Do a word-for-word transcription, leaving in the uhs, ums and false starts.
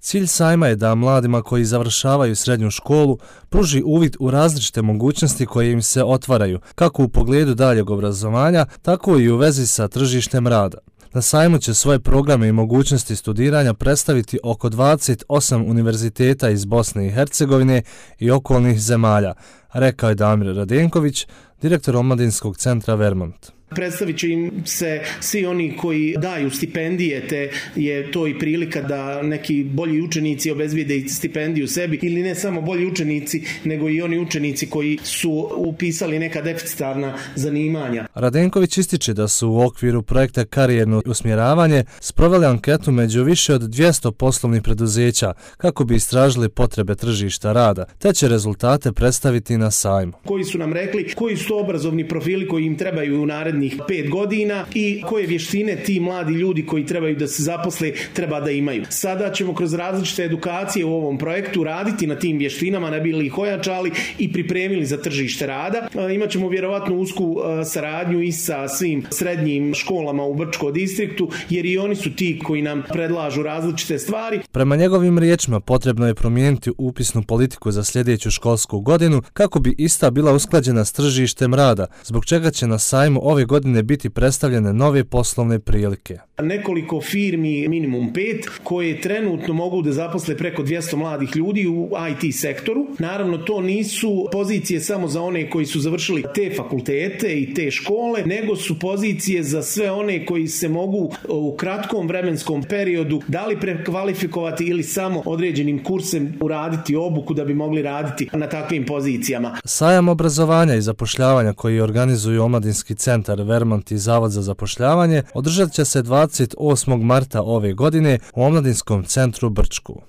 Cilj sajma je da mladima koji završavaju srednju školu pruži uvid u različite mogućnosti koje im se otvaraju, kako u pogledu daljeg obrazovanja, tako i u vezi sa tržištem rada. Na sajmu će svoje programe i mogućnosti studiranja predstaviti oko dvadeset osam univerziteta iz Bosne i Hercegovine i okolnih zemalja, rekao je Damir Radenković, direktor Omladinskog centra Vermont. Predstavit će im se svi oni koji daju stipendije, te je to i prilika da neki bolji učenici obezbijede stipendiju sebi, ili ne samo bolji učenici, nego i oni učenici koji su upisali neka deficitarna zanimanja. Radenković ističe da su u okviru projekta Karijerno usmjeravanje sproveli anketu među više od dvjesto poslovnih preduzeća kako bi istražili potrebe tržišta rada, te će rezultate predstaviti na sajmu. Koji su nam rekli koji su to obrazovni profili koji im trebaju u narednih pet godina i koje vještine ti mladi ljudi koji trebaju da se zaposle treba da imaju. Sada ćemo kroz različite edukacije u ovom projektu raditi na tim vještinama, ne bili ih ojačali i pripremili za tržište rada. Imaćemo vjerovatno usku saradnju i sa svim srednjim školama u Brčkom distriktu, jer i oni su ti koji nam predlažu različite stvari. Prema njegovim riječima potrebno je promijeniti upisnu politiku za sljedeću školsku godinu kako bi ista bila usklađena s tržištem rada, zbog čega će na sajmu ove godine biti predstavljene nove poslovne prilike. Nekoliko firmi, minimum pet, koje trenutno mogu da zaposle preko dvjesto mladih ljudi u I T sektoru. Naravno, to nisu pozicije samo za one koji su završili te fakultete i te škole, nego su pozicije za sve one koji se mogu u kratkom vremenskom periodu da li prekvalifikovati ili samo određenim kursem uraditi obuku da bi mogli raditi na takvim pozicijama. Sajam obrazovanja i zapošljavanja koji organizuju Omladinski centar Vermont i Zavod za zapošljavanje održat će se dvadeset osmog marta ove godine u Omladinskom centru Brčku.